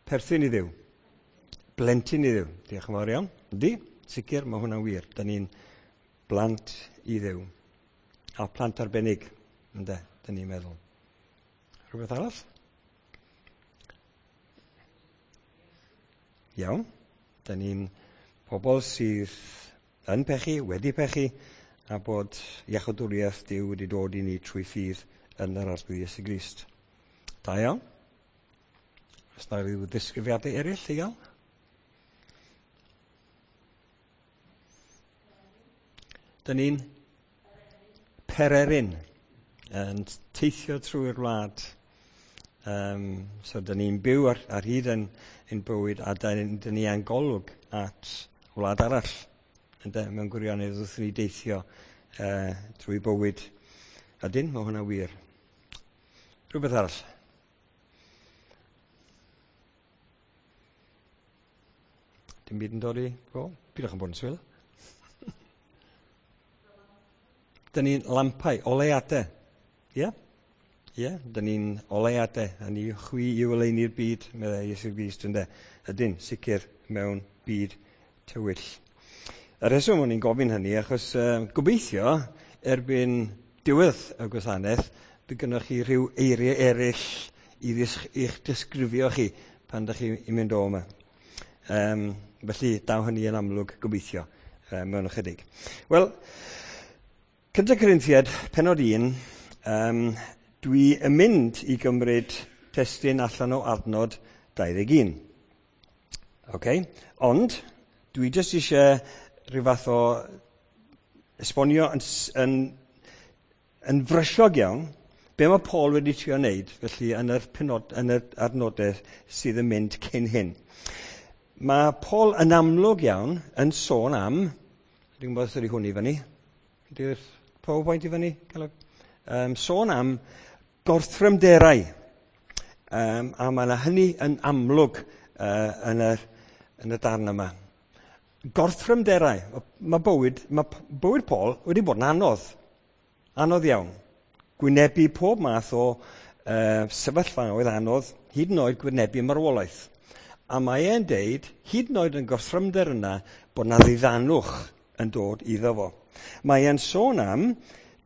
Perthyn i Dduw. Blentyn i Dduw. Diolch yn fawr iawn. Yndi, sicr, mae hwnna'n wir. Da ni'n blant i Dduw. A plant arbennig, ynde, da ni'n meddwl. Rhywbeth arall? Iawn. Da ni'n pobl sydd yn pechu, wedi pechu, a bod iachawdwriaeth Duw wedi dod i ni trwy ffydd yn yr Arglwydd Iesu Grist. Da iawn. Oes 'na ryw ddisgrifiadau eraill i gael? Dyn ni'n pererin yn teithio trwy'r wlad. So dyn ni'n byw ar hyd ein bywyd a dyn ni yn golwg at wlad arall. Ynde, mewn gwirionedd wrth i ni deithio trwy bywyd. Ydyn, mae hwnna wir. Rhywbeth arall. Dim byd yn dod i go? Pidwch yn bod yn swil. Dyn ni'n lampau, oleuadau. Ie? Ie, dyn ni'n oleuadau. A ni chwi i oleuni'r byd, meddai Iesu Grist, ynde. Ydyn, sicr, mewn byd tywyll. Y rheswm o'n i'n gofyn hynny, achos gobeithio erbyn diwedd y gwasanaeth, bydd gynnwch chi rhyw eiriau eraill i i'ch disgrifio chi pan ydych chi'n mynd o yma. Felly, daw hynny yn amlwg gobeithio mewn ychydig. Wel, 1 Corinthiaid, penod 1, dwi yn mynd i gymryd testun allan o adnod 21. Okay? Ond, dwi jyst eisiau rhyw fath o esbonio yn frysiog iawn be mae Paul wedi trio wneud, felly yn yr penod, yn yr adnodau sydd yn mynd cyn hyn. Mae Paul yn amlwg iawn yn sôn am, dwi'n gwybod os ydy hwn i fyny, ydy'r PowerPoint i fyny? Sôn am gorthrymderau. A mae yna hynny yn amlwg yn y darn yma. Gorthrymderau. Mae bywyd Paul wedi bod yn anodd. Anodd iawn. Gwynebu pob math o sefyllfaoedd anodd, hyd yn oed gwynebu marwolaeth. A mae e'n deud, hyd yn oed yn gorthrymder yna, bod na ddiddanwch yn dod iddo fo. Mae e'n sôn am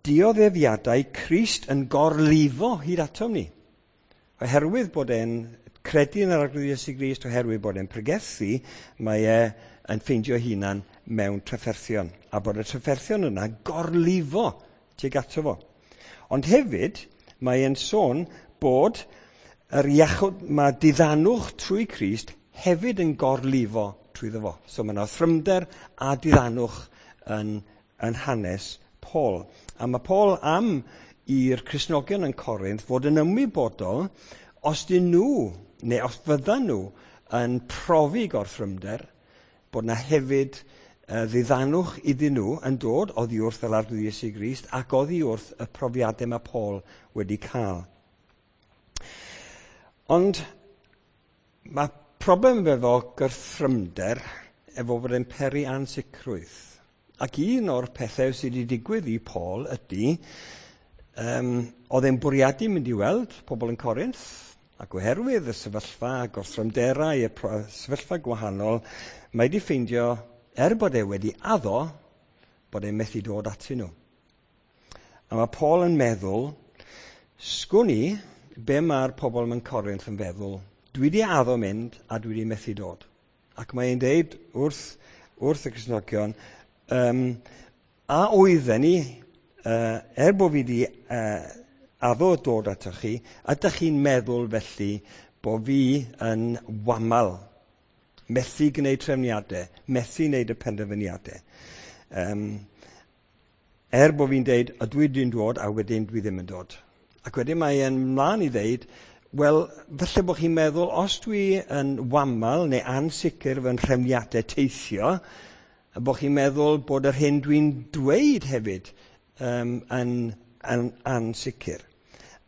dioddefiadau Crist yn gorlifo hyd atom ni. Oherwydd bod e'n credu yn yr Arglwydd Iesu Grist, oherwydd bod e'n pregethu, mae e yn ffeindio hunan mewn trafferthion. A bod y trafferthion yna gorlifo tuag ato fo. Ond hefyd, mae e'n sôn bod yr iachwd, mae diddanwch trwy Crist hefyd yn gorlifo trwyddo fo. So mae yna thrymder a diddanwch yn hanes Paul. A mae Paul am i'r Cristnogion yn Corinth fod yn ymwybodol os dyn nhw, neu os fyddan nhw, yn profi gorthrymder, bod yna hefyd ddiddanwch iddyn nhw yn dod oddi wrth yr Arglwydd Iesu Grist ac oddi wrth y profiadau mae Paul wedi cael. Ond mae problem efo gorthrymder efo bod e'n peri ansicrwydd. Ac un o'r pethau sydd wedi digwydd i Paul ydy, oedd e'n bwriadu mynd i weld pobl yn Corinth, ac oherwydd y sefyllfa, gorthrymderau, y sefyllfa gwahanol, mae wedi ffeindio, er bod e wedi addo, bod e'n methu dod atyn nhw. A mae Paul yn meddwl, sgwn i be mae'r pobl mewn Corinth yn feddwl, dwi wedi addo mynd a dwi wedi methu dod. Ac mae'n deud wrth y Cristnogion, a oedden ni, er bod fi wedi addo dod atoch chi, ydych chi'n meddwl felly bod fi yn wamal, methu gwneud trefniadau, methu gwneud y penderfyniadau. Er bod fi'n deud, ydw i dwi'n dod a wedyn dwi ddim yn dod. Ac wedyn mae e'n mlaen i ddeud, wel, falle bod chi'n meddwl, os dwi yn wamal neu ansicr fy nhrefniadau teithio, a bod chi'n meddwl bod yr hyn dwi'n dweud hefyd yn ansicr.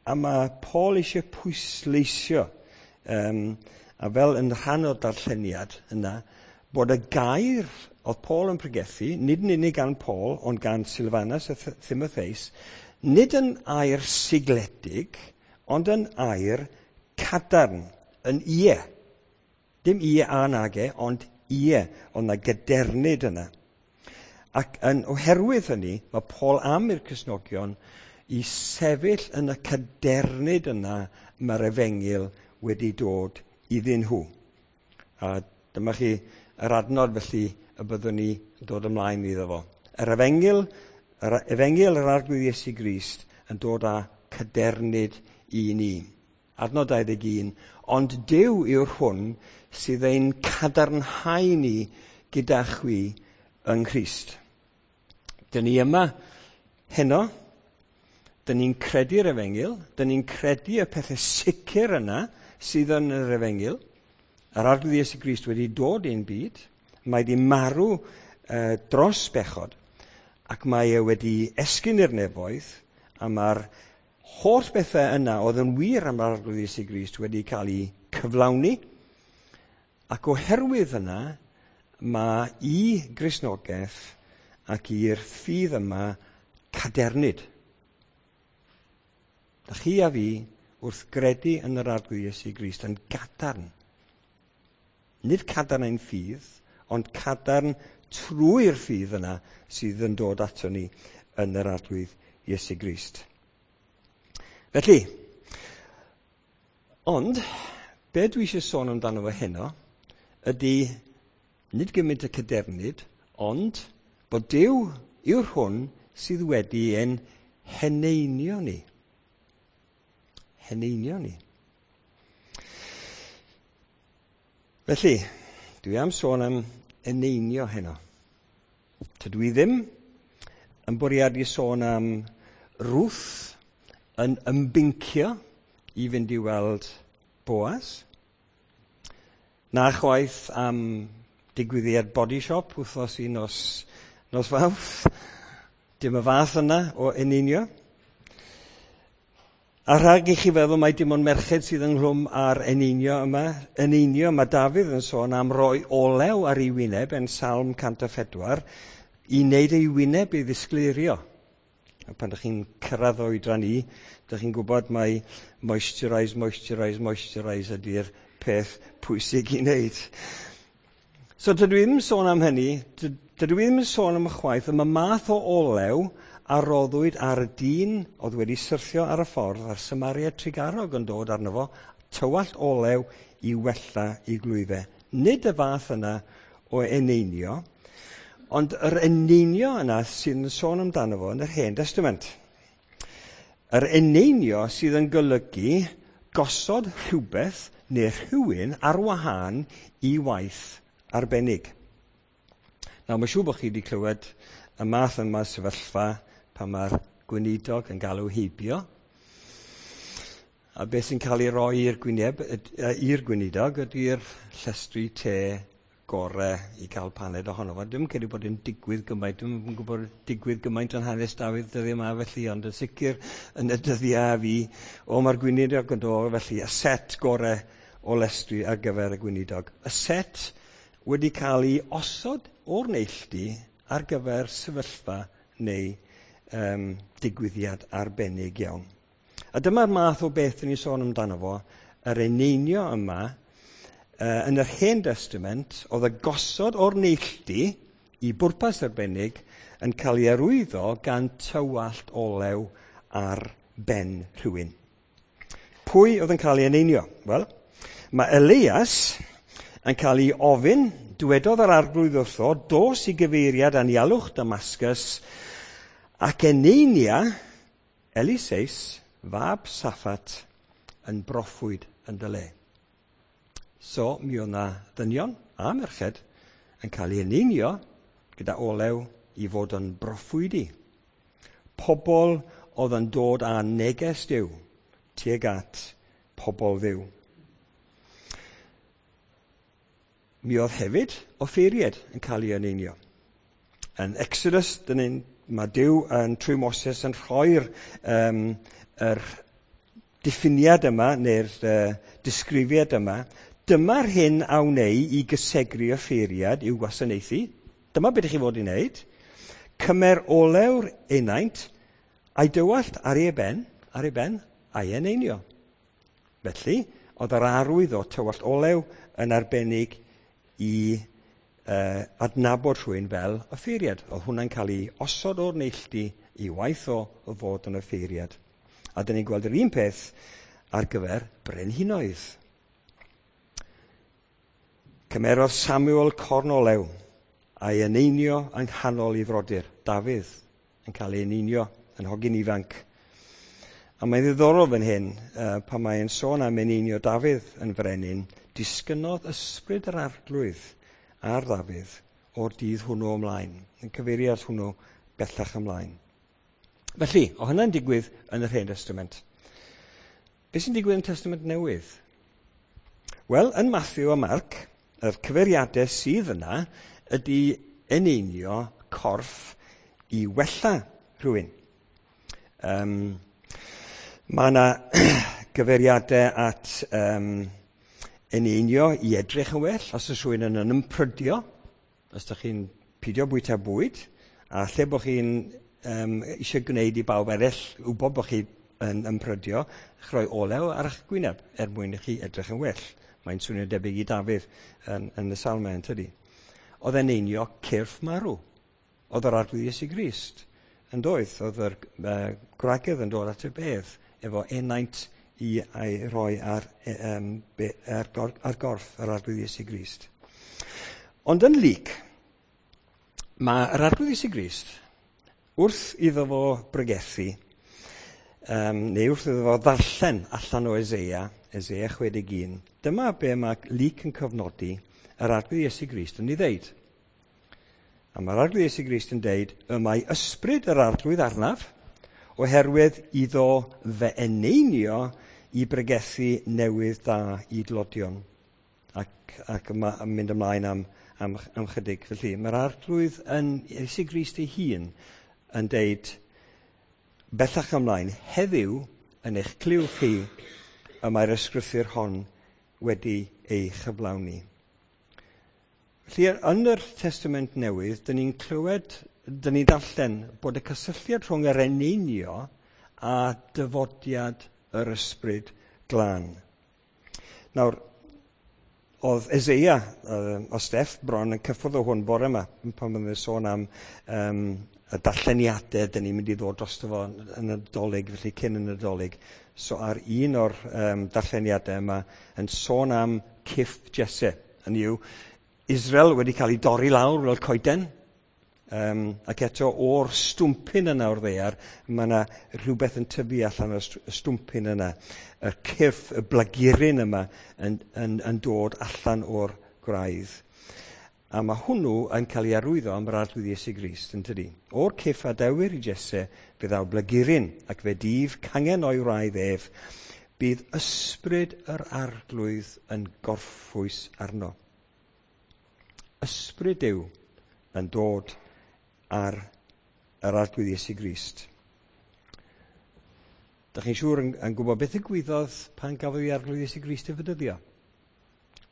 A mae Paul eisiau pwysleisio, a fel yn rhan o'r darlleniad yna, bod y gair oedd Paul yn pregethu, nid yn unig gan Paul, ond gan Silvanus a Timotheus, nid yn air sigledig, ond yn air cadarn, yn ie. Dim ie a nage, ond ie, ond na gadernid yna. Ac yn oherwydd hynny, mae Paul am i'r Cristnogion i sefyll yn y cadernid yna mae'r efengyl wedi dod iddyn nhw. A dyma chi yr adnod felly y byddwn ni yn dod ymlaen iddo fo. Yr efengyl, yr efengyl yr Arglwydd Iesu Grist yn dod â cadernid i ni. Adnod 21, ond Duw yw'r hwn sydd ein cadarnhau ni gyda chwi yng Nghrist. Dyn ni yma heno, dyn ni'n credu'r efengyl, dyn ni'n credu y pethau sicr yna sydd yn yr efengyl. Yr Arglwydd Iesu Grist wedi dod i'n byd, mae wedi marw dros bechod, ac mae e wedi esgyn i'r nefoedd, a mae'r holl bethau yna oedd yn wir am yr Arglwydd Iesu Grist wedi cael eu cyflawni, ac oherwydd yna, mae i Gristnogaeth ac i'r ffydd yma cadernid. Da chi a fi wrth gredu yn yr Arglwydd Iesu Grist yn gadarn. Nid cadarn ein ffydd, ond cadarn trwy'r ffydd yna sydd yn dod ato ni yn yr Arglwydd Iesu Grist. Felly, ond, be dwi eisiau sôn amdano fo heno ydy nid gymaint y cadernid, ond bod Duw yw'r hwn sydd wedi ein heneinio ni. Heneinio ni. Felly, dwi am sôn am eneinio heno. Tydw i ddim yn bwriadu sôn am Ruth yn ymbincio i fynd i weld Boaz. Na chwaith am digwyddiad Body Shop wythnos i nos, nos Fawrth. Dim y fath yna o eneinio. A rhag i chi feddwl mai dim ond merched sydd ynghlwm â'r eneinio yma, eneinio, mae Dafydd yn sôn am roi olew ar ei wyneb yn Salm 104 i wneud ei wyneb i ddisgleirio. A pan ydych chi'n cyrraedd oedran i, ydych chi'n gwybod mai moisturise, moisturise, moisturise ydy'r peth pwysig i wneud. So dydw i ddim yn sôn am hynny, dydw i ddim yn sôn am y chwaith, am y math o olew a roddwyd ar y dyn oedd wedi syrthio ar y ffordd a'r Samaria trugarog yn dod arno fo, tywallt olew i wella i glwyfau. Nid y fath yna o eneinio, ond yr eneinio yna sydd yn sôn amdano fo yn yr Hen Testament. Yr eneinio sydd yn golygu gosod rhywbeth neu rhywun ar wahân i waith arbennig. Nawr, mae'n siŵr bod chi wedi clywed y math yma sefyllfa pan mae'r gweinidog yn galw heibio. A beth sy'n cael ei roi i'r gwyneb, i'r gweinidog ydy'r llestri te gore i gael paned ohono fo. Dwi'm yn credu bod yn digwydd gymaint, dwi'm yn gwybod digwydd gymaint yn hanes Dafydd dyddiau yma felly, ond yn sicr yn y dyddiau fi, o mae'r gweinidog yn dod felly, y set gore o lestri ar gyfer y gweinidog. Y set wedi cael ei osod o'r neilltu ar gyfer sefyllfa neu digwyddiad arbennig iawn. A dyma'r math o beth ni'n sôn amdano fo, yr eneinio yma, yn yr Hen Testament, oedd y gosod o'r neilltu i bwrpas arbennig yn cael ei arwyddo gan tywallt olew ar ben rhywun. Pwy oedd yn cael ei eneinio? Wel, mae Elias yn cael ei ofyn, dywedodd yr Arglwydd wrtho, dos i gyfeiriad anialwch Damascus, ac eneinia Eliseus, fab Saffat, yn broffwyd yn dy le. So, mi oedd na ddynion a merched yn cael ei eneinio gyda olew i fod yn broffwydi. Pobl oedd yn dod â neges Duw tuag at pobl Dduw. Mi oedd hefyd offeiriad yn cael ei eneinio. Yn Exodus, mae Duw yn trwy Moses yn rhoi'r yr diffiniad yma, neu'r disgrifiad yma. Dyma'r hyn a wnei i gysegru offeiriad i'w gwasanaethu. Dyma beth ych chi fod i wneud. Cymer olew'r enaint a'i dywallt ar ei ben, a'i eneinio. Felly, oedd yr arwydd o tywallt olew yn arbennig i adnabod rhywun fel offeiriad. Oedd hwnna'n cael ei osod o'r neilltu i waith o fod yn offeiriad. A dyn ni'n gweld yr un peth ar gyfer brenhinoedd. Cymerodd Samuel corn olew a'i eneinio yng nghanol ei frodyr. Dafydd yn cael ei eneinio yn hogyn ifanc. A mae'n ddiddorol fan hyn, pan mae'n sôn am eneinio Dafydd yn frenin, disgynnodd ysbryd yr arglwydd ar Ddafydd o'r dydd hwnnw ymlaen, yn cyfeiriad hwnnw bellach ymlaen. Felly, o hynna'n digwydd yn yr Hen Testament. Beth sy'n digwydd yn Testament Newydd? Wel, yn Matthew a Mark, yr cyfeiriadau sydd yna ydy eneinio corff i wella rhywun. Mae yna gyfeiriadau at eneinio i edrych yn well, os oes rhywun yn ymprydio, os ydych chi'n pidio bwyta bwyd, a lle bod chi'n eisiau gwneud i bawb eraill wybod bod chi yn ymprydio, chroi olew ar eich gwyneb er mwyn i chi edrych yn well. Mae'n swnio debyg i Dafydd yn y Salmau, yn tydi. Oedd e'n einio cyrff marw. Oedd yr Arglwydd Iesu Grist yn doedd. Oedd yr gwragedd yn dod at y bedd efo enaint i ei roi ar gorff yr Arglwydd Iesu Grist. Ond yn Luc, mae yr Arglwydd Iesu Grist, wrth iddo fo bregethu, neu wrth iddo fo ddarllen allan o Eseia, Eseia 61, dyma be mae Luc yn cofnodi yr Arglwydd Iesu Grist yn ei ddeud. A mae'r Arglwydd Iesu Grist yn deud, y mae ysbryd yr Arglwydd arnaf, oherwydd iddo fe eneinio i bregethu newydd da i dlodion. Ac mae'n mynd ymlaen am chydig. Felly, mae'r Arglwydd yn Iesu Grist ei hun yn deud, bellach ymlaen, heddiw yn eich clyw chi, y mae'r ysgrythur hon wedi ei chyflawni. Felly, yn yr Testament Newydd, dyn ni'n clywed, dyn ni'n darllen bod y cysylltiad rhwng yr eneinio a dyfodiad yr ysbryd glân. Nawr, oedd Eseia, o Steff bron yn cyffwrdd o hwn bore yma, pan byddwn ni'n sôn am y darlleniadau dyn ni'n mynd i ddod drosto fo yn y Nadolig, felly cyn y Nadolig. So ar un o'r darlleniadau yma yn sôn am cyff Jesse. Hynny yw, Israel wedi cael ei dorri lawr fel coeden, ac eto o'r stwmpyn yna o'r ddaear, mae yna rhywbeth yn tyfu allan o'r stwmpyn yna. Y cyrff, y blaguryn yma yn dod allan o'r gwraidd. A mae hwnnw yn cael ei arwyddo am yr Arglwydd Iesu Grist, yn tydi. O'r cyff a dewir i Jesse, fe ddaw blaguryn, ac fe dyf cangen o'i wraidd ef. Bydd ysbryd yr Arglwydd yn gorffwys arno. Ysbryd Duw yn dod ar yr Arglwydd Iesu Grist. Dach chi'n siŵr yn gwybod beth ddigwyddodd pan gafodd ei Arglwydd Iesu Grist ei fedyddio?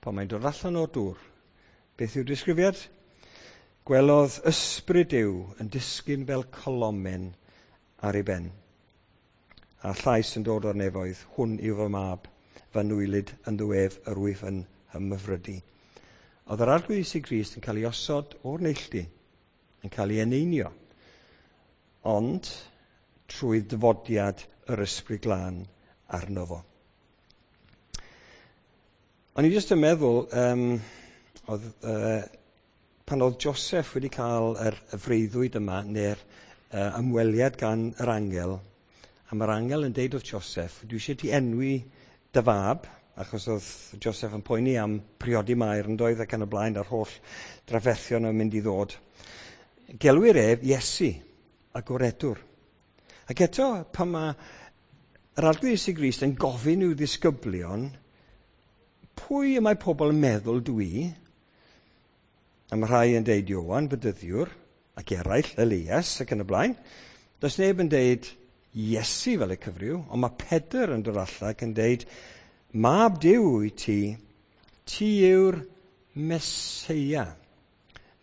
Pan mae'n dod allan o'r dŵr. Beth yw'r disgrifiad? Gwelodd ysbryd Duw yn disgyn fel colomen ar ei ben. A llais yn dod o'r nefoedd, hwn yw fy mab, fy nwylyd ynddo ef yr wyf yn ymhyfrydu. Oedd yr Arglwydd Iesu Grist yn cael ei osod o'r neilltu, yn cael ei eneinio, ond trwy dyfodiad yr Ysbryd Glân arno fo. O'n i jyst yn meddwl, pan oedd Joseph wedi cael yr freuddwyd yma, neu'r ymweliad gan yr angel, a mae'r angel yn deud wrth Joseph, dwi eisiau ti enwi dy fab, achos oedd Joseph yn poeni am priodi Mair yn doedd ac yn y blaen a'r holl drafferthion yn mynd i ddod. Gelwir ef Iesu, a Goredwr. Ac eto, pan mae yr Arglwydd Iesu Grist yn gofyn i'w ddisgyblion, pwy y mae pobl yn meddwl dwi? A mae rhai yn deud Ioan, Fedyddiwr, ac eraill, Elias, ac yn y blaen. Does neb yn deud Iesu fel y cyfryw, ond mae Pedr yn dod allan ac yn deud, Mab Duw i ti, ti yw'r Meseia.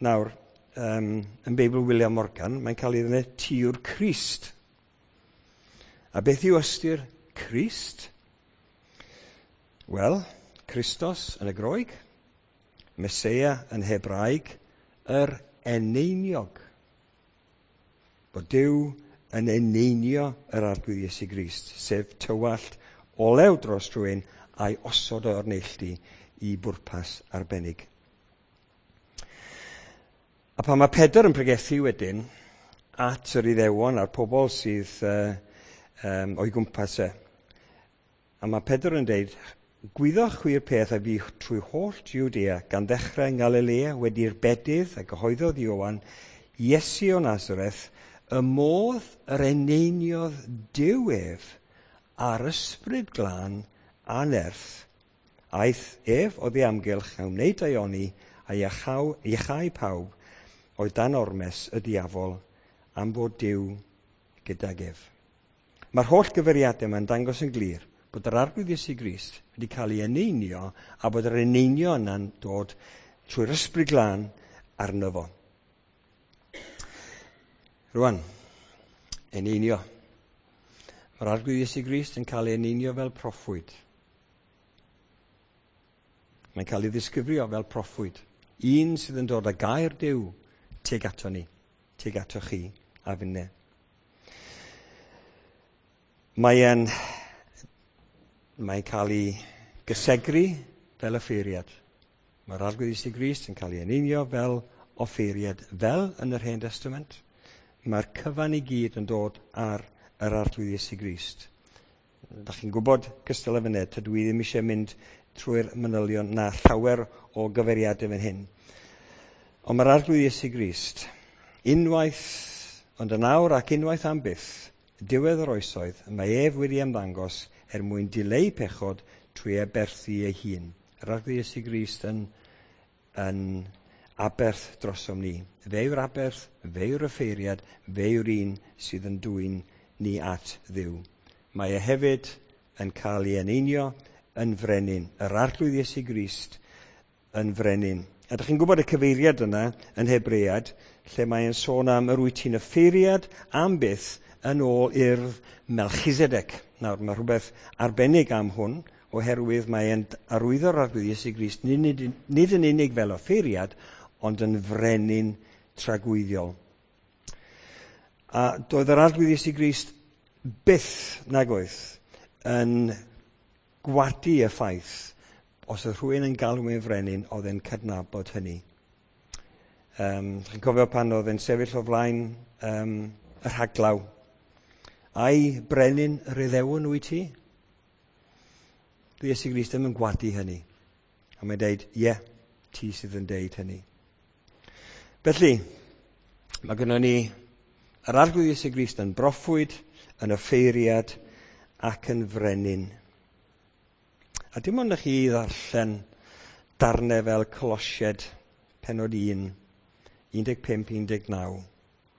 Nawr, yn Beibl William Morgan, mae'n cael ei ddweud ti yw'r Crist. A beth yw ystyr Crist? Wel, Christos yn y Groeg, Meseia yn Hebraeg, yr eneiniog. Bod Duw yn eneinio yr Arglwydd Iesu Grist, sef tywallt olew dros rhywun a'i osod o'r neilltu i bwrpas arbennig. A pan mae Pedr yn pregethu wedyn at yr Iddewon a'r pobl sydd o'i gwmpas e, a mae Pedr yn deud, gwyddoch chwi'r peth a fi trwy holl Jwdea gan ddechrau yng Ngalilea wedi'r bedydd a gyhoeddodd Ioan, Iesu o Nazareth, y modd yr eneiniodd Duw ef a'r ysbryd glân a nerth. Aeth ef oddi amgylch a wneud daioni a iachau pawb oedd dan ormes y diafol am fod Duw gydag ef. Mae'r holl gyfeiriadau yma'n dangos yn glir bod yr Arglwydd Iesu Grist wedi cael ei eneinio a bod yr eneinio yna'n dod trwy'r ysbryd glân arno fo. Rwan, eneinio. Mae'r Arglwydd Iesu Grist yn cael ei eneinio fel proffwyd. Mae'n cael ei ddisgrifio fel proffwyd. Un sydd yn dod â gair Duw tuag ato ni, tuag ato chi a finne. Mae'n cael ei gysegru fel offeiriad. Mae'r Arglwydd Iesu Grist yn cael ei eneinio fel offeiriad, fel yn yr Hen Testament. Mae'r cyfan i gyd yn dod ar yr Arglwydd Iesu Grist. Da chi'n gwybod cystal â fyned, tydw i ddim eisiau mynd trwy'r manylion na llawer o gyfeiriadau fan hyn. Ond mae'r Arglwydd Iesu Grist, unwaith, ond yn awr ac unwaith am byth, diwedd yr oesoedd, mae ef wedi ymddangos er mwyn dileu pechod trwy aberthu ei hun. Yr Arglwydd Iesu Grist yn aberth drosom ni. Fe yw'r aberth, fe yw'r offeiriad, fe yw'r un sydd yn dwyn ni at Dduw. Mae e hefyd yn cael ei eneinio yn frenin. Yr Arglwydd Iesu Grist yn frenin. A ydych chi'n gwybod y cyfeiriad yna yn Hebread, lle mae'n sôn am yr wyt ti'n offeiriad am byth yn ôl urdd Melchizedek. Nawr, mae rhywbeth arbennig am hwn, oherwydd mae'n arwyddo'r Arglwydd Iesu Grist nid yn unig fel offeiriad, ond yn frenin tragwyddiol. A doedd yr Arglwydd Iesu Grist byth nag oedd yn gwadu y ffaith os oedd rhywun yn galw e'n frenin, oedd e'n cydnabod hynny. Chi'n cofio pan oedd e'n sefyll o flaen y rhaglaw. Ai brenin yr Iddewon wyt ti? Dwi Iesu Grist ddim yn gwadu hynny. A mae'n deud, ie, ti sydd yn deud hynny. Felly, mae gynnon ni yr Arglwydd Iesu Grist yn broffwyd, yn offeiriad ac yn frenin. A dim ond i chi ddarllen darnau fel Colosiaid, pennod 1, 15-19.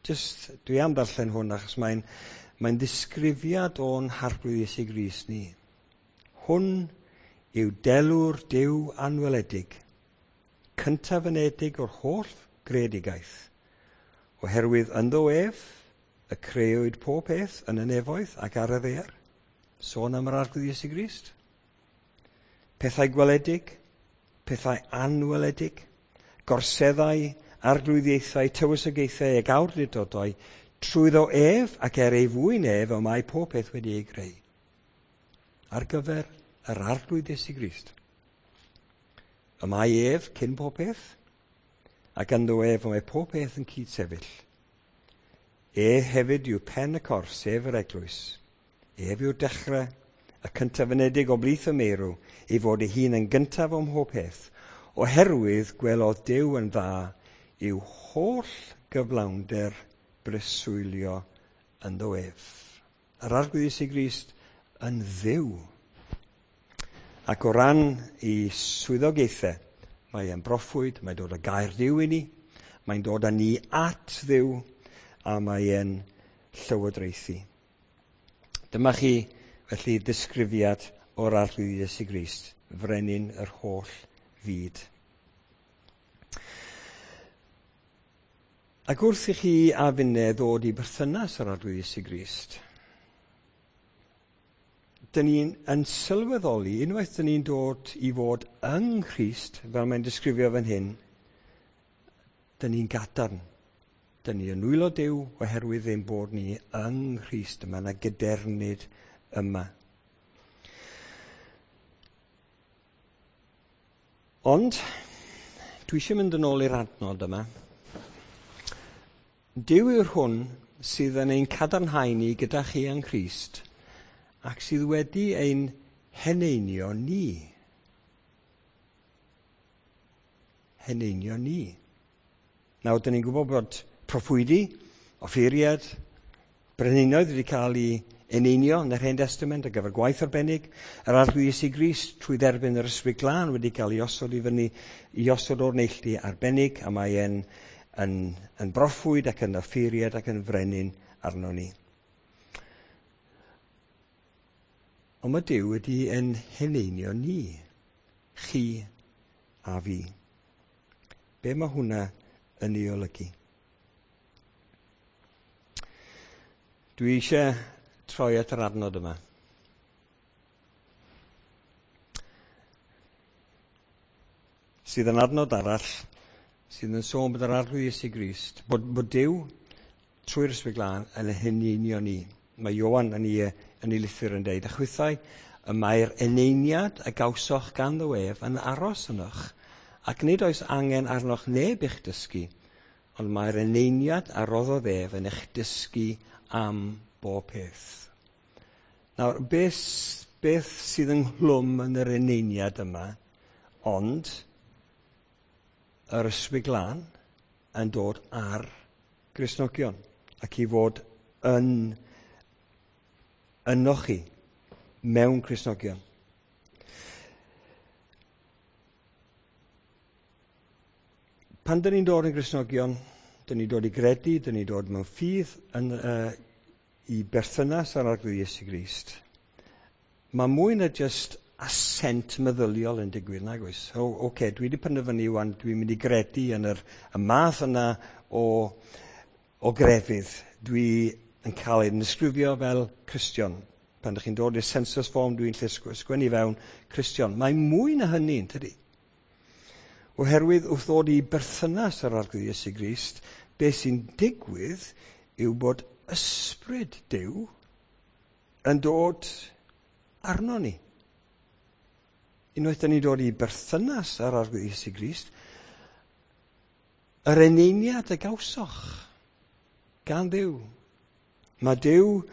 Just, dwi am ddarllen hwn achos mae'n ddisgrifiad o'n Harglwydd Iesu Grist ni. Hwn yw delw'r Duw anweledig, cyntaf ynedig o'r holl greadigaeth, oherwydd ynddo ef y crëwyd pob peth yn y nefoedd ac ar y ddaear. Sôn am yr Arglwydd Iesu Grist. Pethau gweledig, pethau anweledig, gorseddau, arglwyddiaethau, tywysogaethau ac awdurdodau, trwyddo ef ac er ei fwyn ef y mae pob peth wedi ei greu. Ar gyfer yr Arglwydd Iesu Grist. Y mae ef cyn pob peth, ac ynddo ef y mae pob peth yn cydsefyll. E hefyd yw pen y corff, sef yr eglwys. Ef yw'r dechrau, y cyntaf ynedig o blith y meirw, ei fod ei hun yn gyntaf o'm mhob peth, oherwydd gwelodd Duw yn dda i'w holl gyflawnder breswylio ynddo ef. Yr Arglwydd Iesu Grist yn Dduw. Ac o ran ei swyddogaethau, mae e'n broffwyd, mae'n dod â gair Duw i ni, mae'n dod â ni at Dduw, a mae e'n llywodraethu. Dyma chi, felly, ddisgrifiad o'r Arglwydd Iesu Grist, frenin yr holl fyd. Ac wrth i chi a finne ddod i berthynas yr Arglwydd Iesu Grist, dyn ni'n yn sylweddoli, unwaith dyn ni'n dod i fod yng Nghrist, fel mae'n disgrifio fan hyn, dyn ni'n gadarn. Dyn ni yn nwylo Duw oherwydd ein bod ni yng Nghrist. Mae yna gydernid yma. Ond, dwi eisiau mynd yn ôl i'r adnod yma. Duw yw'r hwn sydd yn ein cadarnhau ni gyda chi yng Nghrist ac sydd wedi ein heneinio ni. Heneinio ni. Nawr, dyn ni'n gwybod bod proffwydi, offeiriad, brenhinoedd wedi cael ei eneinio yn yr Hen Testament ar gyfer gwaith arbennig. Yr Arglwydd Iesu Grist trwy dderbyn yr Ysbryd Glân wedi cael ei osod i fyny, i osod o'r neilltu arbennig, a mae e'n yn broffwyd ac yn offeiriad ac yn frenin arno ni. Ond mae Duw wedi ein heneinio ni, chi a fi. Be mae hwnna yn ei olygu? Dwi eisiau troi at yr adnod yma. Sydd yn adnod arall sydd yn sôn bod yr Arglwydd Iesu Grist, bod Duw trwy'r Ysbryd Glân yn heneinio ni. Mae Ioan yn ei lythyr yn deud, a chwithau, y mae'r eneiniad a gawsoch ganddo ef yn aros ynoch, ac nid oes angen arnoch neb i'ch dysgu, ond mae'r eneiniad a roddodd ef yn eich dysgu am bob peth. Nawr, beth sydd ynghlwm yn yr eneiniad yma, ond yr Ysbryd Glân yn dod ar Gristnogion ac i fod yn ynoch chi mewn Cristnogion. Pan dyn ni'n dod yn Gristnogion, dyn ni'n dod i gredu, dyn ni'n dod mewn ffydd yn, i berthynas â'r Arglwydd Iesu Grist. Mae mwy na just assent meddyliol yn digwydd, nag oes? O, oce, dwi wedi penderfynu wan, dwi'n mynd i gredu yn y math yna o grefydd. Dwi yn cael ei ddisgrifio fel Cristion. Pan ydych chi'n dod i'r census form, dwi'n lle sgwennu fewn Cristion. Mae mwy na hynny, tydi? Oherwydd wrth ddod i berthynas â'r Arglwydd Iesu Grist, beth sy'n digwydd yw bod ysbryd Duw yn dod arno ni. Unwaith dyn ni'n dod i berthynas â'r Arglwydd Iesu Grist, yr eneiniad a gawsoch gan Dduw. Mae Duw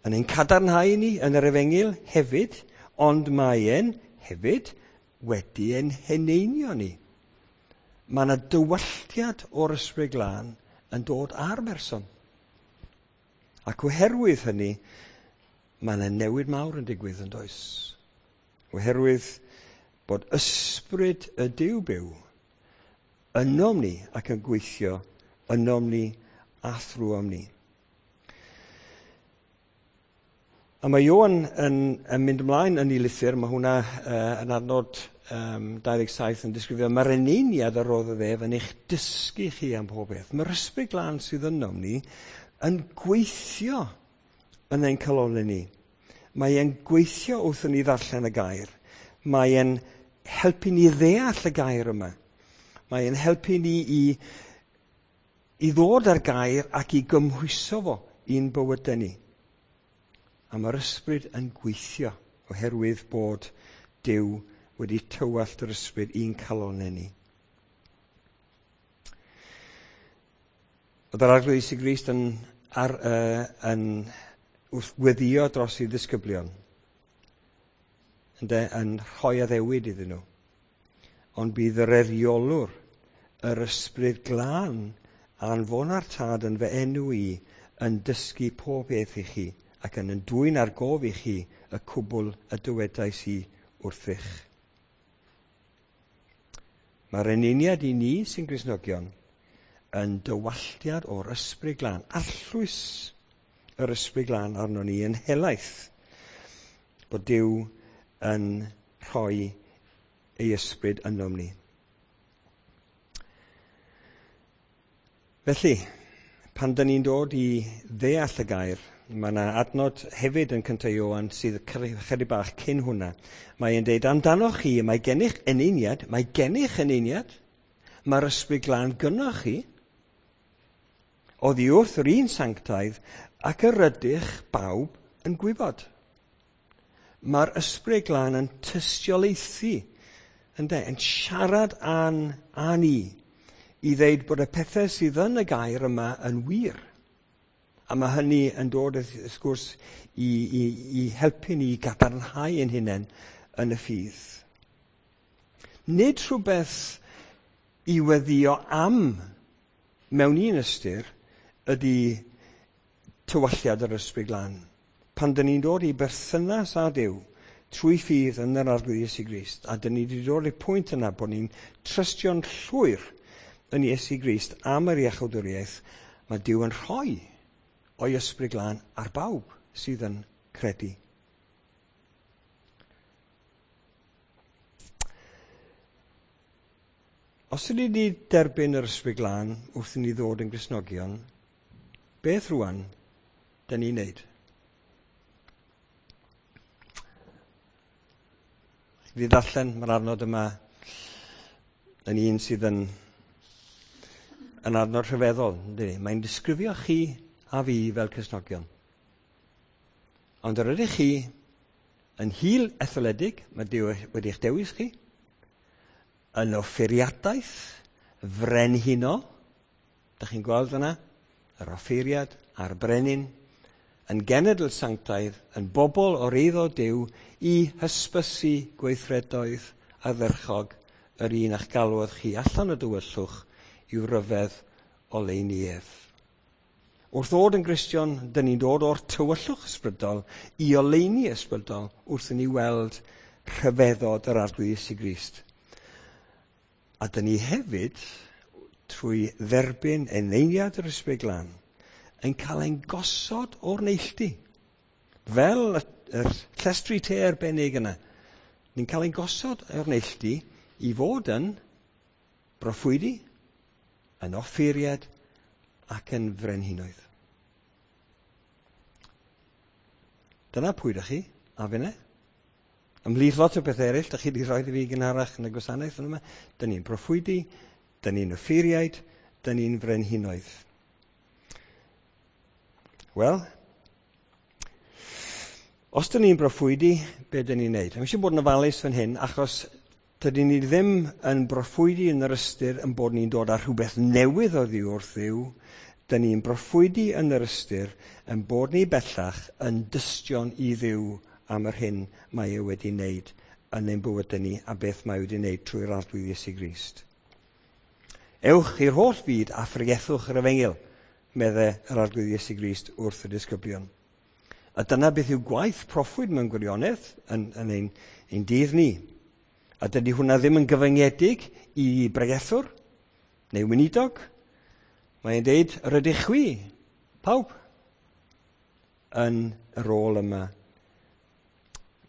yn ein cadarnhau ni yn yr Efengyl hefyd, ond mae e'n hefyd wedi ein heneinio ni. Mae yna dywalltiad o'r Ysbryd Glân yn dod ar berson. Ac oherwydd hynny, mae yna newid mawr yn digwydd yn does. Oherwydd bod ysbryd y Duw byw ynom ni ac yn gweithio ynom ni a thrwom ni. A mae Ioan yn mynd ymlaen yn ei lythyr, mae hwnna yn adnod 27 yn disgrifio, mae'r eneiniad a roddodd ef yn eich dysgu chi am pob beth. Mae'r Ysbryd Glân sydd ynom ni yn gweithio yn ein calonnau ni. Mae e'n gweithio wrth i ni ddarllen y gair. Mae e'n helpu ni ddeall y gair yma. Mae e'n helpu ni i ddod â'r gair ac i gymhwyso fo i'n bywydau ni. A mae'r ysbryd yn gweithio oherwydd bod Duw wedi tywallt yr ysbryd i'n calonnau ni. Oedd yr Arglwydd Iesu Grist yn wrth weddio dros ei ddisgyblion, yn rhoi addewid iddyn nhw. Ond bydd yr eriolwr, yr Ysbryd Glân, anfona'r Tad yn fy enw i, yn dysgu pob beth i chi, ac yn dwyn ar gof i chi y cwbl y dywedais i wrthych. Mae'r eneiniad i ni sy'n Gristnogion yn dywalltiad o'r Ysbryd Glân, arllwys yr Ysbryd Glân arno ni yn helaeth, bod Duw yn rhoi ei ysbryd ynom ni. Felly, pan dyn ni'n dod i ddeall y gair, Mae yna adnod hefyd yn 1 Ioan sydd chydig bach cyn hwnna. Mae'n deud, amdanoch chi, mae gennych eneiniad, mae gennych eneiniad, mae'r Ysbryd Glân gynnoch chi, oddi wrth yr un sanctaidd, ac yr ydych bawb yn gwybod. Mae'r Ysbryd Glân yn tystiolaethu, ynde, yn siarad â ni, i ddeud bod y pethau sydd yn y gair yma yn wir. A mae hynny yn dod, wrth gwrs, i helpu ni i gadarnhau ein hunain yn y ffydd. Nid rhywbeth i weddïo am mewn un ystyr ydy tywalliad yr Ysbryd Glân. Pan dyn ni'n dod i berthynas â Duw trwy ffydd yn yr Arglwydd Iesu Grist, a dyn ni wedi dod i'r pwynt yna bod ni'n trystio'n llwyr yn Iesu Grist am yr iachawdwriaeth, mae Duw yn rhoi o'i Ysbryd Glân ar bawb sydd yn credu. Os ydyn ni wedi derbyn yr Ysbryd Glân wrth i ni ddod yn Gristnogion, beth rwan dyn ni'n neud? Fi ddarllen, mae'r adnod yma yn un sydd yn adnod rhyfeddol, yndydi? Mae'n disgrifio chi a fi fel Cristnogion. Ond yr ydych chi yn hil etholedig, mae Duw wedi eich dewis chi, yn offeiriadaeth frenhinol, dych chi'n gweld yna, yr offeiriad a'r brenin, yn genedl sanctaidd, yn bobl o'r eiddo Duw i hysbysu gweithredoedd ardderchog yr un a'ch galwodd chi allan o dywyllwch i'w ryfedd oleuni ef. Wrth ddod yn Gristion, dyn ni'n dod o'r tywyllwch ysbrydol i oleuni ysbrydol wrth i ni weld rhyfeddod yr Arglwydd Iesu Grist. A dyn ni hefyd, trwy dderbyn eneiniad yr Ysbryd Glân, yn cael ein gosod o'r neilltu. Fel yr llestri te arbennig yna. Ni'n cael ein gosod o'r neilltu i fod yn broffwydi, yn offeiriad ac yn frenhinoedd. Dyna pwy ydych chi, a finne. Ymhlith lot o bethau eraill, dych chi wedi rhoi i fi gynharach yn y gwasanaeth yma. Dyn ni'n broffwydi, dyn ni'n offeiriaid, dyn ni'n frenhinoedd. Wel, os dyn ni'n broffwydi, be dyn ni'n neud? Mae eisiau bod yn ofalus fan hyn, achos dydyn ni ddim yn broffwydi yn yr ystyr yn bod ni'n dod â rhywbeth newydd oddi wrth Dduw. Dyn ni'n broffwydi yn yr ystyr yn bod ni bellach yn dystion i Dduw am yr hyn mae e wedi wneud yn ein bywydau ni a beth mae wedi wneud trwy'r Arglwydd Iesu Grist. Ewch i'r holl fyd a phregethwch yr efengyl, medde yr Arglwydd Iesu Grist wrth y disgyblion. A dyna beth yw gwaith proffwyd mewn gwirionedd yn ein dydd ni. A dydy hwnna ddim yn gyfyngedig i bregethwr neu weinidog. Mae'n deud, yr ydych chwi, pawb, yn y rôl yma.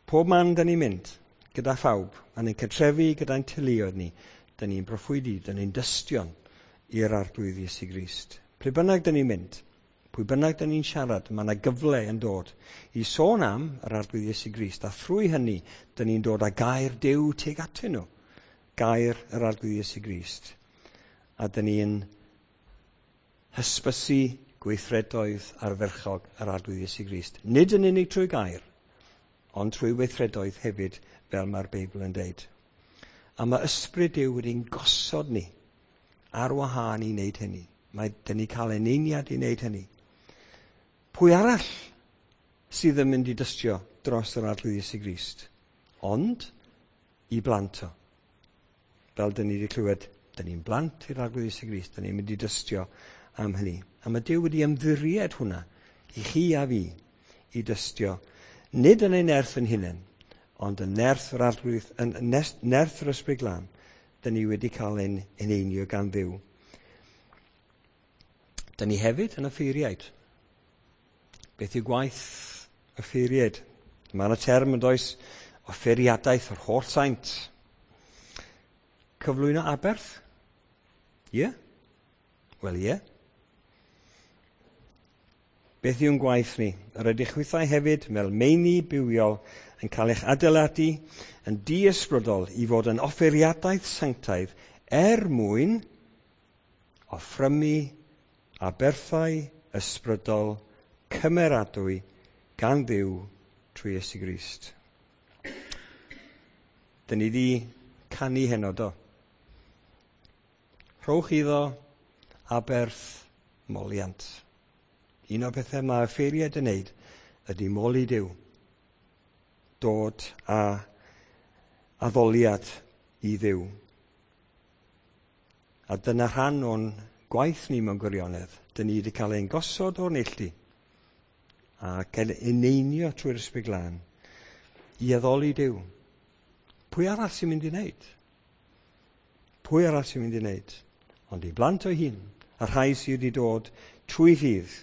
Pob man dyn ni'n mynd, gyda phawb, yn ein cartrefi, gyda'n teuluoedd ni, dyn ni'n broffwydi, dyn ni'n dystion i'r Arglwydd Iesu Grist. Ple bynnag dyn ni'n mynd, pwy bynnag dyn ni'n siarad, mae yna gyfle yn dod i sôn am yr Arglwydd Iesu Grist, a thrwy hynny, dyn ni'n dod â gair Duw tuag atyn nhw, gair yr Arglwydd Iesu Grist. A dyn ni'n hysbysu gweithredoedd ardderchog yr Arglwydd Iesu Grist. Nid yn unig trwy gair, ond trwy weithredoedd hefyd, fel mae'r Beibl yn deud. A mae Ysbryd Duw wedi'n gosod ni ar wahân i wneud hynny. Mae dyn ni cael eneiniad i wneud hynny. Pwy arall sydd yn mynd i dystio dros yr Arglwydd Iesu Grist? Ond i blant o. Fel dyn ni wedi clywed, dyn ni'n blant i'r Arglwydd Iesu Grist, dyn ni'n mynd i dystio am hynny. A mae Duw wedi ymddiried hwnna i chi a fi i dystio, nid yn ei nerth yn hunain, ond yn nerth yr Arglwydd, yn nerth yr Ysbryd Glân, dyn ni wedi cael ein eneinio gan Dduw. Dyn ni hefyd yn offeiriaid. Beth yw gwaith offeiriaid? Mae yna term yn does, offeiriadaeth yr holl saint. Cyflwyno aberth? Ie? Wel, ie. Beth yw'n gwaith ni? Yr ydych chwithau hefyd, fel meini bywiol, yn cael eich adeiladu yn diysbrydol i fod yn offeiriadaeth sanctaidd er mwyn offrymu aberthau ysbrydol cymeradwy gan Dduw trwy Iesu Grist. Dyn ni wedi canu heno, do. Rhowch iddo aberth moliant. Un o'r pethau mae offeiriaid yn neud ydy moli Duw. Dod â addoliad i Dduw. A dyna rhan o'n gwaith ni mewn gwirionedd. Dyn ni wedi cael ein gosod o'r neilltu a cael eneinio trwy'r Ysbryd Glân i addoli Duw. Pwy arall sy'n mynd i wneud? Pwy arall sy'n mynd i wneud? Ond i blant o'i hun, a rhai sydd wedi dod trwy ffydd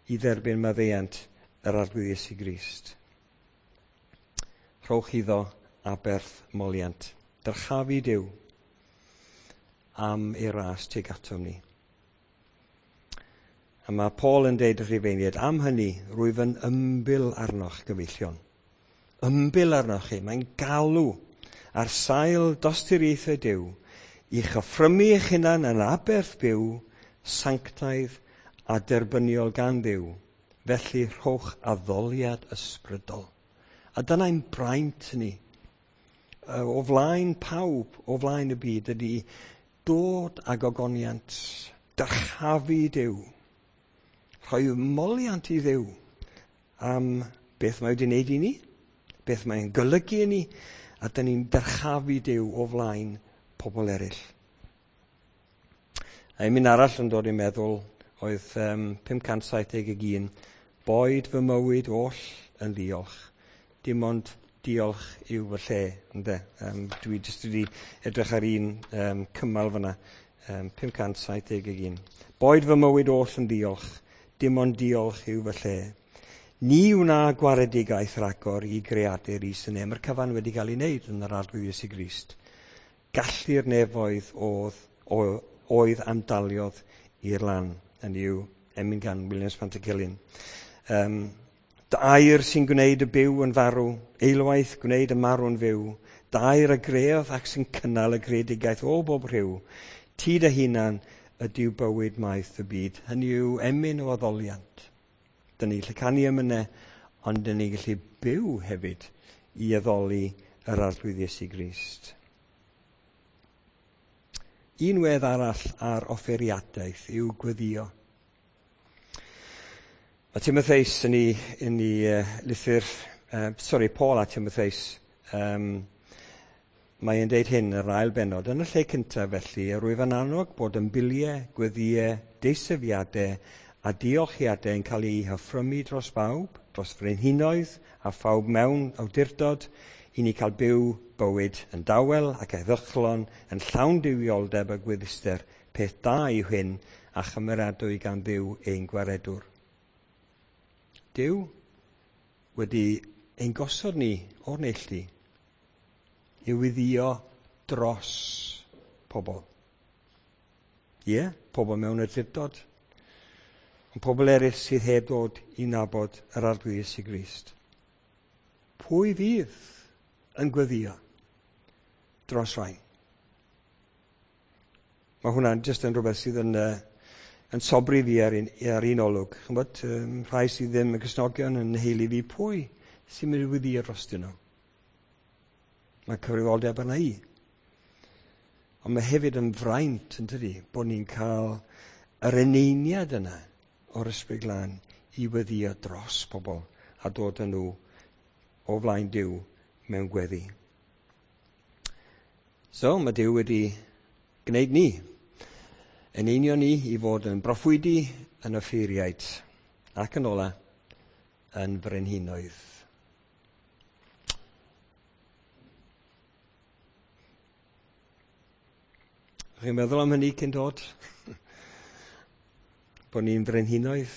i dderbyn maddeuant yr Arglwydd Iesu Grist. Rhowch iddo aberth moliant. Dyrchafu Duw am ei ras tuag atom ni. A mae Paul yn deud wrth Rufeiniaid, am hynny, rwyf yn ymbil arnoch, gyfeillion. Ymbil arnoch chi. Mae'n galw ar sail dosturiaethau Duw i chyffrymu eich hunan yn aberth byw, sanctaidd a derbyniol gan Dduw. Felly rhowch addoliad ysbrydol. A dyna'n braint ni. O flaen pawb, o flaen y byd, ydy dod ag ogoniant, dyrchafu Duw, rhoi moliant i Dduw am beth mae wedi wneud i ni, beth mae'n golygu i ni, a dyn ni'n dyrchafu Duw o flaen pobl eraill. A un arall yn dod i'n meddwl oedd 571, boed fy mywyd oll yn ddiolch, dim ond diolch yw fy lle, ynde? Dwi jyst wedi edrych ar un cymal fyna, 571. Boed fy mywyd oll yn ddiolch, dim ond diolch yw fy lle. Ni wna gwaredigaeth ragor i greadur is y nef. Mae'r cyfan wedi cael ei wneud yn yr Arglwydd Iesu Grist. Gallu'r nefoedd oedd amdaliodd i'r lan, yn yw emyn gan Williams Pantycelyn. Dy air sy'n gwneud y byw yn farw, eilwaith gwneud y marw'n fyw, dy air a greodd ac sy'n cynnal y greadigaeth o bob rhyw, ti dy hunan ydyw bywyd maith y byd. Hynny yw emyn o addoliant. Dyn ni'n gallu canu emynau, ond dyn ni'n gallu byw hefyd i addoli yr Arglwydd Iesu Grist. Un wedd arall ar offeiriadaeth yw gweddio. Mae Timotheus yn ei lythyr, Paul a Timotheus, mae'n deud hyn yr ail bennod. Yn y lle cyntaf felly, rwyf yn annog bod ymbiliau, gweddïau, deisyfiadau a diolchiadau yn cael eu hyffrymu dros bawb, dros frenhinoedd a phawb mewn awdurdod, i ni cael byw bywyd yn dawel ac heddychlon, yn llawn duwioldeb a gweddister. Peth da yw hyn a chymeradwy gan Dduw ein gwaredwr. Duw wedi ein gosod ni o'r neilltu i weddïo dros pobl. Ie, pobl mewn awdurdod, ond pobl eraill sydd heb ddod i nabod yr Arglwydd Iesu Grist. Pwy fydd yn gweddio dros rhain? Mae hwnna'n jyst yn rhywbeth sydd yn sobri fi ar un olwg. Ch'mbod, rhai sydd ddim yn Cristnogion yn heili fi, pwy sy'n mynd i weddïo drostyn nhw? Mae cyfrifoldeb arna i. Ond mae hefyd yn fraint, yn tydi, bod ni'n cael yr eneiniad yna o'r Ysbryd Glân i weddïo dros pobl a dod â nhw o flaen Duw mewn gweddi. So, mae Duw wedi gwneud ni, eneinio ni i fod yn broffwydi, yn offeiriaid, ac yn ola, yn frenhinoedd. Chi'n meddwl am hynny cyn dod? Bod ni'n frenhinoedd?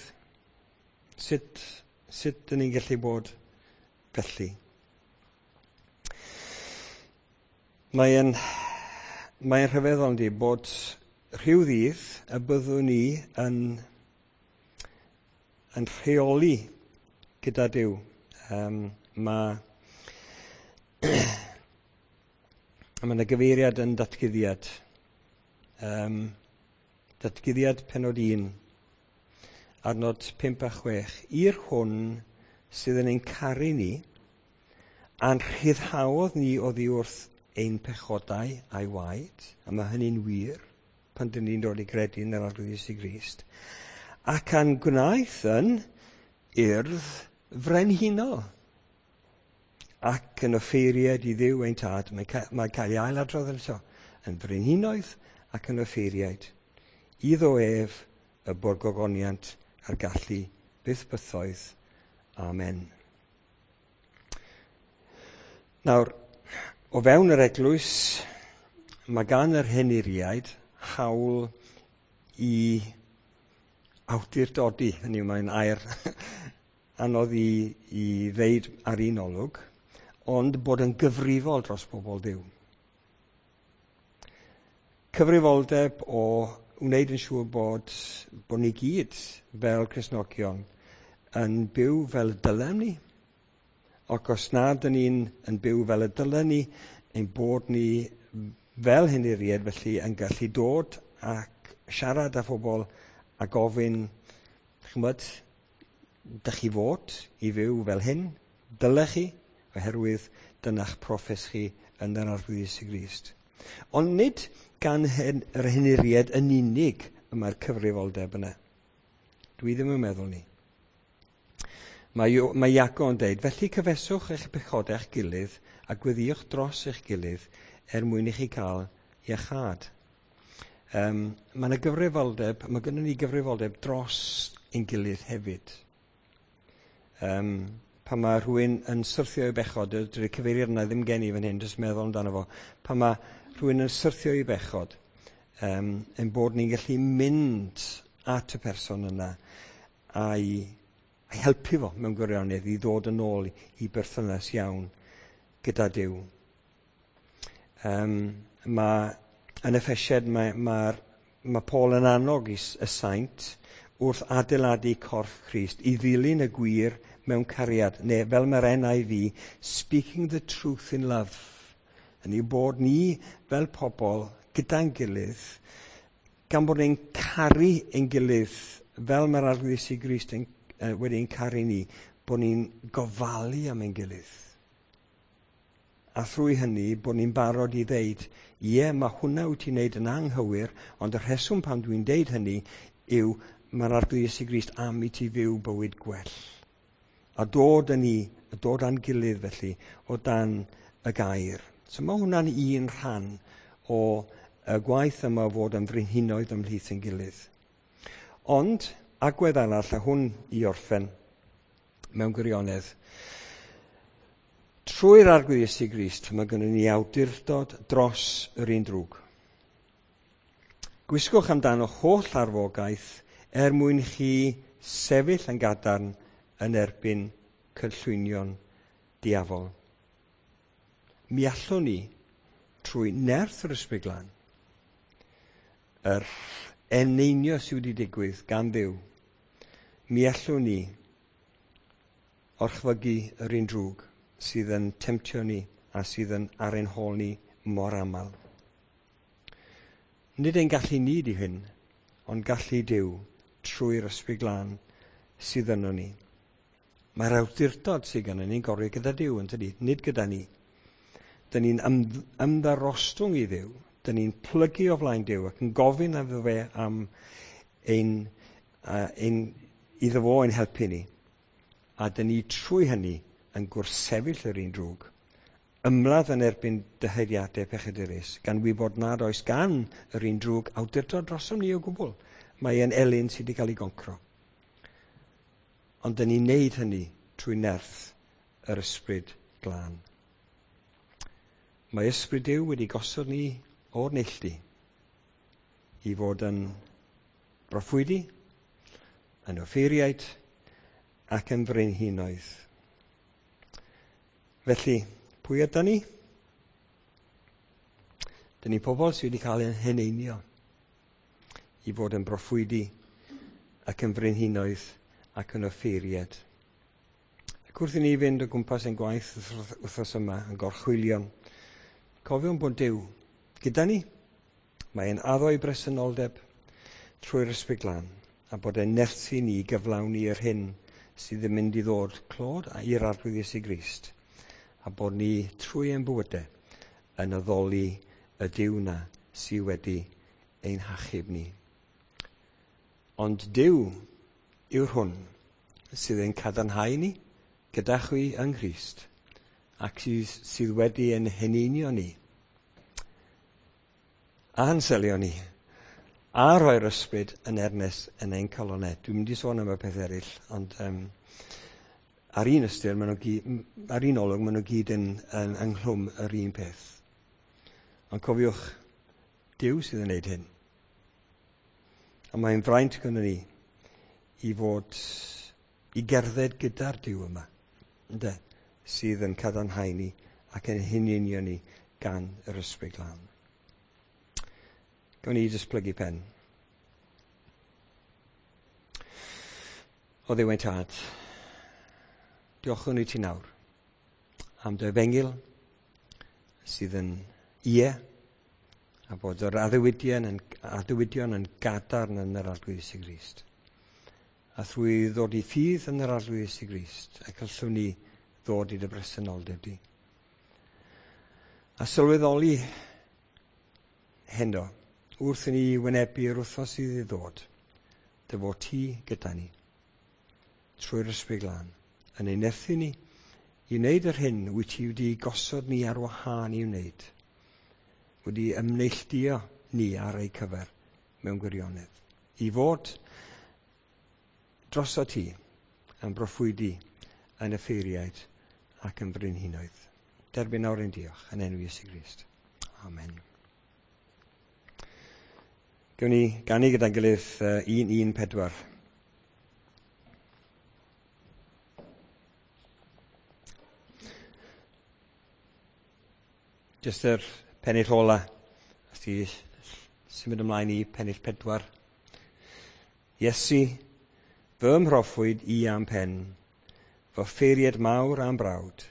Sut dyn ni'n gallu bod felly? Mae'n rhyfeddol yndi bod rhyw ddydd y byddwn ni yn yn rheoli gyda Duw. Mae yna gyfeiriad yn datguddiad. Datguddiad pennod 1, adnod 5 a 6. I'r hwn sydd yn ein caru ni, a'n rhyddhaodd ni oddi wrth ein pechodau a'i waed, a mae hynny'n wir pan dyn ni'n dod i gredu yn yr Arglwydd Iesu Grist, ac a'n gwnaeth yn urdd frenhinol ac yn offeiriad i Dduw ein tad. Mae cael ei ailadrodd eto, yn frenhinoedd ac yn offeiriaid. Iddo ef y bo'r gogoniant a'r gallu byth bythoedd. Amen. Nawr, o fewn yr eglwys, mae gan yr henuriaid hawl i awdurdodi. Hynny yw, mae'n air anodd i ddeud ar un olwg, ond bod yn gyfrifol dros bobl Dduw. Cyfrifoldeb o wneud yn siŵr bod ni gyd fel Cristnogion yn byw fel y dylem ni, ac os nad ydyn ni'n yn byw fel y dylen ni, ein bod ni fel henuriaid felly yn gallu dod ac siarad â phobl a gofyn, ch'mod, dych chi fod i fyw fel hyn, dylech chi, oherwydd dyna'ch proffes chi yn yr Arglwydd Iesu Grist. Ond nid gan yr henuriaid yn unig y mae'r cyfrifoldeb yna. Dwi ddim yn meddwl ni. Mae Iago yn deud, felly cyfeswch eich pechodau eich gilydd a gweddïwch dros eich gilydd er mwyn i chi cael iachâd. Mae yna gyfrifoldeb, mae gynnon ni gyfrifoldeb dros ein gilydd hefyd. Pan mae rhywun yn syrthio i bechod, dydy'r cyfeiriad yna ddim gen i fan hyn, jyst meddwl amdano fo. Pan mae rhywun yn syrthio i bechod, ein bod ni'n gallu mynd at y person yna a'i helpu fo mewn gwirionedd i ddod yn ôl i berthynas iawn gyda Duw. Mae yn Effesiaid mae Paul yn annog y saint wrth adeiladu corff Crist i ddilyn y gwir mewn cariad, neu fel mae'r NIV, speaking the truth in love. Yn yw bod ni fel pobl gyda'n gilydd, gan bod ni'n caru ein gilydd fel mae'r Arglwydd Iesu Grist wedi ein caru ni, bod ni'n gofalu am ein gilydd. A thrwy hynny, bod ni'n barod i ddeud, ie, mae hwnna wyt ti'n neud yn anghywir, ond y rheswm pan dwi'n deud hynny yw mae'r Arglwydd Iesu Grist am i ti fyw bywyd gwell. A dod â ni, a dod â'n gilydd felly, o dan y gair. So mae hwnna'n un rhan o y gwaith yma o fod yn frenhinoedd ymhlith ein gilydd. Ond, agwedd arall, a hwn i orffen mewn gwirionedd, trwy'r Arglwydd Iesu Grist, mae gynnon ni awdurdod dros yr un drwg. Gwisgwch amdano holl arfogaeth er mwyn chi sefyll yn gadarn yn erbyn cynllwynion diafol. Mi allwn ni, trwy nerth yr Ysbryd Glân, yr eneinio sydd wedi digwydd gan Dduw, mi allwn ni orchfygu yr un drwg sydd yn temtio ni a sydd yn ar ein hôl ni mor aml. Nid ein gallu ni di hyn, ond gallu Duw trwy'r Ysbryd Glân sydd yno ni. Mae'r awdurdod sydd gynnon ni'n gorau gyda Duw, yn tydi? Nid gyda ni. Dyn ni'n ymddarostwng i Dduw, dyn ni'n plygu o flaen Duw ac yn gofyn iddo fe am iddo fo ein helpu ni. A dyn ni trwy hynny yn gwrthsefyll yr un drwg, ymladd yn erbyn dyheiriadau pechadurus, gan wybod nad oes gan yr un drwg awdurdod drosom ni o gwbl. Mae e'n elyn sydd wedi cael ei goncro. Ond dyn ni'n neud hynny trwy nerth yr Ysbryd Glân. Mae Ysbryd Duw wedi gosod ni o'r neilltu i fod yn broffwydi, yn offeiriaid ac yn frenhinoedd. Felly, pwy ydan ni? Dyn ni pobl sydd wedi cael eu heneinio i fod yn broffwydi ac yn frenhinoedd ac yn offeiriad. Ac wrth i ni fynd o gwmpas ein gwaith wythnos yma yn gorchwylion, cofiwn bod Duw gyda ni. Mae'n addo ei bresenoldeb trwy'r Ysbryd Glân, a bod e'n nerthu ni i gyflawni yr hyn sydd yn mynd i ddod clod i'r Arglwydd Iesu Grist, a bod ni trwy ein bywydau yn addoli y Duw na sydd wedi ein hachub ni. Ond Duw yw'r hwn sydd yn cadarnhau ni gyda chwi yng Nghrist, ac sydd wedi ein heneinio ni, a'n selio ni, a rhoi'r ysbryd yn ernes yn ein calonau. Dwi'n mynd i sôn am y peth eraill, ond ar un ystyr, ar un olwg, maen nhw gyd yn ynghlwm yr un peth. Ond cofiwch, Duw sydd yn gwneud hyn. A mae'n fraint gyda ni i fod i gerdded gyda'r Duw yma, ynde, sydd yn cadarnhau ni ac yn huneinio ni gan yr Ysbryd Glân. Gawn ni jyst plygu pen. O Dduw ein Tad, diolchwn i ti nawr am dy efengyl sydd yn ie, a bod yr addewidion yn gadarn yn yr Arglwydd Iesu Grist. A thrwy ddod i ffydd yn yr Arglwydd Iesu Grist, y gallwn ni ddod i dy bresenoldeb di. A sylweddoli heno, wrth i ni wynebu'r wythnos sydd i ddod, dy fod ti gyda ni, trwy'r Ysbryd Glân, yn ein nerthu ni i wneud yr hyn wyt ti wedi gosod ni ar wahân i wneud, wedi ymneilltuo ni ar ei cyfer mewn gwirionedd, i fod droso ti yn broffwydi, yn offeiriaid ac yn frenhinoedd. Derbyn nawr ein diolch yn enw Iesu Grist. Amen. Gawn ni ganu gyda'n gilydd 114. Jyst yr pennill ola, os ti symud ymlaen i pennill 4. Iesu, fy mhroffwyd i am pen, fy ffeiriad mawr am brawd,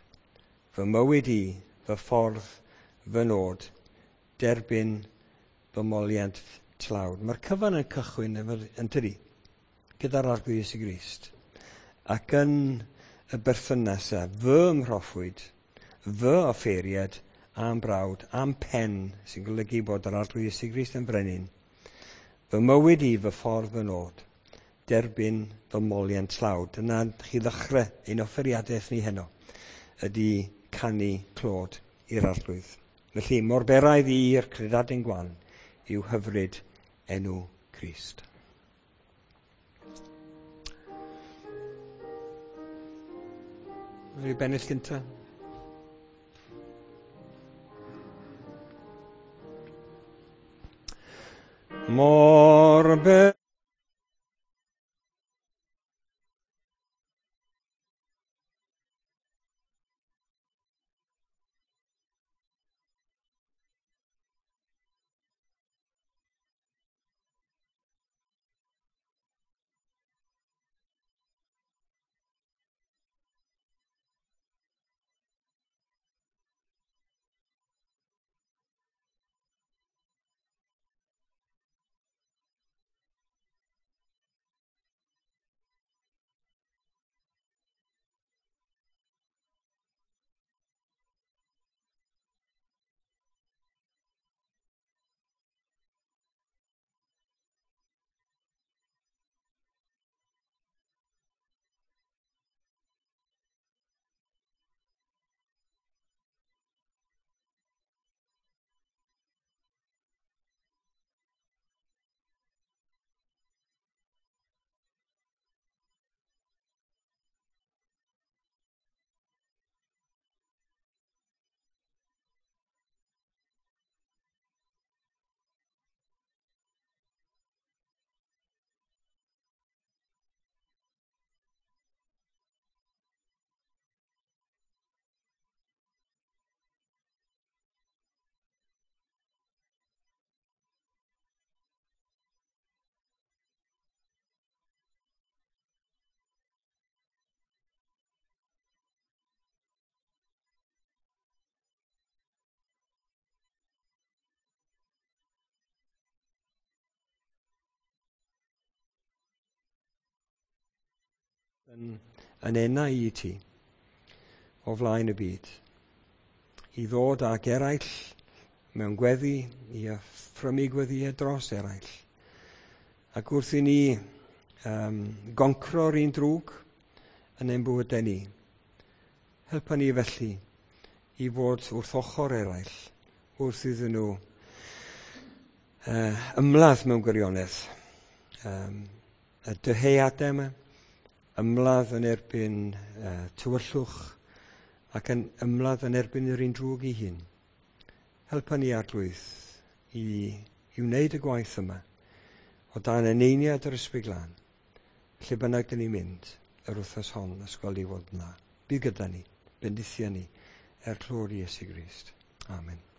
fy mywyd i, fy ffordd, fy nod, derbyn fy moliant tlawd. Mae'r cyfan yn cychwyn yn tydi, gyda'r Arglwydd Iesu Grist. Ac yn y berthynas a fy mhroffwyd, fy offeiriad am brawd, am pen, sy'n golygu bod yr Arglwydd Iesu Grist yn frenin. Fy mywyd i, fy ffordd, fy nod, derbyn fy moliant tlawd. Dyna chi ddechrau ein offeriadaeth ni heno, ydy canu clod i'r Arglwydd. Felly, mor beraidd i'r credadun gwan yw hyfryd enw Crist. Mae'n bennill gyntaf. Mor Yn enau i ti o flaen y byd, i ddod ag eraill mewn gweddi, i offrymu gweddïau dros eraill. Ac wrth i ni goncro'r un drwg yn ein bywydau ni, helpa ni felly i fod wrth ochr eraill, wrth iddyn nhw ymladd mewn gwirionedd. Y dyheadau yma, ymladd yn erbyn tywyllwch ac yn ymladd yn erbyn yr un drwg ei hun. Helpa ni, Arglwydd, i wneud y gwaith yma o dan eneiniad yr Ysbryd Glân. Lle bynnag dyn ni'n mynd yr wythnos hon, ysgol i fod yna. Bydd gyda ni, bendithia ni, er clod i Iesu Grist. Amen.